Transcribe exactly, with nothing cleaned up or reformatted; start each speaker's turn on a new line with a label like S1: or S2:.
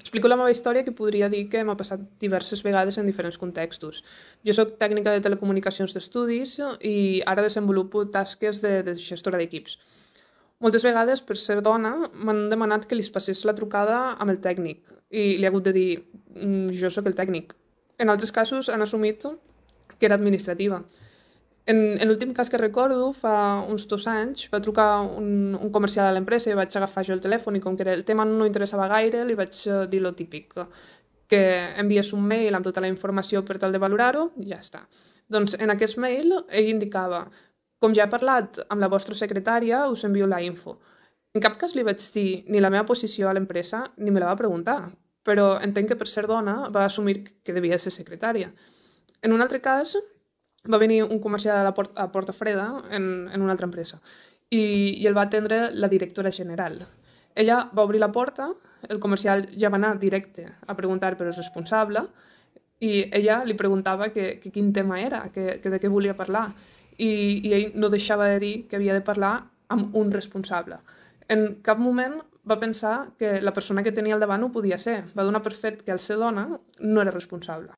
S1: Explico la meva història, que podria dir que m'ha passat diverses vegades en diferents contextos. Jo sóc tècnica de telecomunicacions d'estudis i ara desenvolupo tasques de, de gestora d'equips. Moltes vegades, per ser dona, m'han demanat que li passés la trucada amb el tècnic i li he hagut de dir "Mm, jo sóc el tècnic". En altres casos han assumit que era administrativa. En, en l'últim cas que recordo, fa uns dos anys, va trucar un, un comercial a l'empresa i vaig agafar jo el telèfon i com que el tema no interessava gaire, li vaig eh, dir lo típic, que enviés un mail amb tota la informació per tal de valorar-ho i ja està. Doncs en aquest mail ell indicava: com ja he parlat amb la vostra secretària, us envio la info. En cap cas li vaig dir ni la meva posició a l'empresa ni me la va preguntar, però entenc que per ser dona va assumir que devia ser secretària. En un altre cas, va venir un comercial a la porta, a Porta Freda en, en una altra empresa i, i el va atendre la directora general. Ella va obrir la porta, el comercial ja va anar directe a preguntar per el responsable i ella li preguntava que, que quin tema era, que, que de què volia parlar, i, i ell no deixava de dir que havia de parlar amb un responsable. En cap moment va pensar que la persona que tenia al davant ho podia ser. Va donar per fet que al ser dona no era responsable.